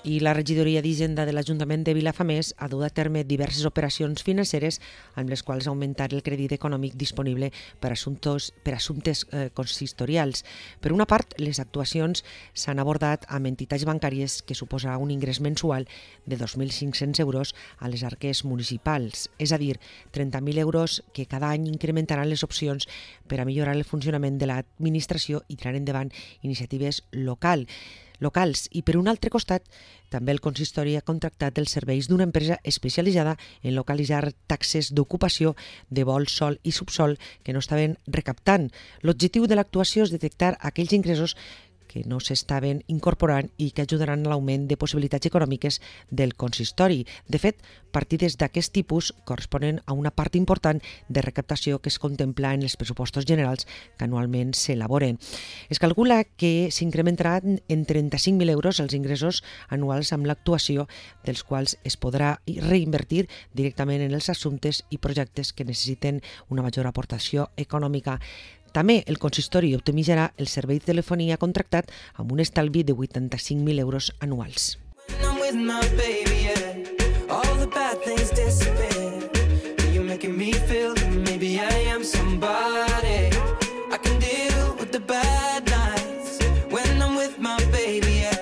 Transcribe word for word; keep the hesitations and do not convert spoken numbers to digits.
I la regidoria d'Hisenda de l'Ajuntament de Vilafamés ha dut a terme diverses operacions financeres amb les quals augmentar el crèdit econòmic disponible per assumptes, per assumptes eh, consistorials. Per una part, les actuacions s'han abordat amb entitats bancàries que suposa un ingrés mensual de dos mil cinc-cents euros a les arques municipals, és a dir, trenta mil euros que cada any incrementaran les opcions per a millorar el funcionament de l'administració i tirar endavant iniciatives local. locals. I per un altre costat, també el consistori ha contractat els serveis d'una empresa especialitzada en localitzar taxes d'ocupació de vol, sol i subsol que no estaven recaptant. L'objectiu de l'actuació és detectar aquells ingressos que no s'estaven incorporant i que ajudaran a l'augment de possibilitats econòmiques del consistori. De fet, partides d'aquest tipus corresponen a una part important de recaptació que es contempla en els pressupostos generals que anualment s'elaboren. Es calcula que s'incrementaran en trenta-cinc mil euros els ingressos anuals amb l'actuació, dels quals es podrà reinvertir directament en els assumptes i projectes que necessiten una major aportació econòmica. També el consistori optimitzarà el servei de telefonia contractat amb un estalvi de vuitanta-cinc mil euros anuals. When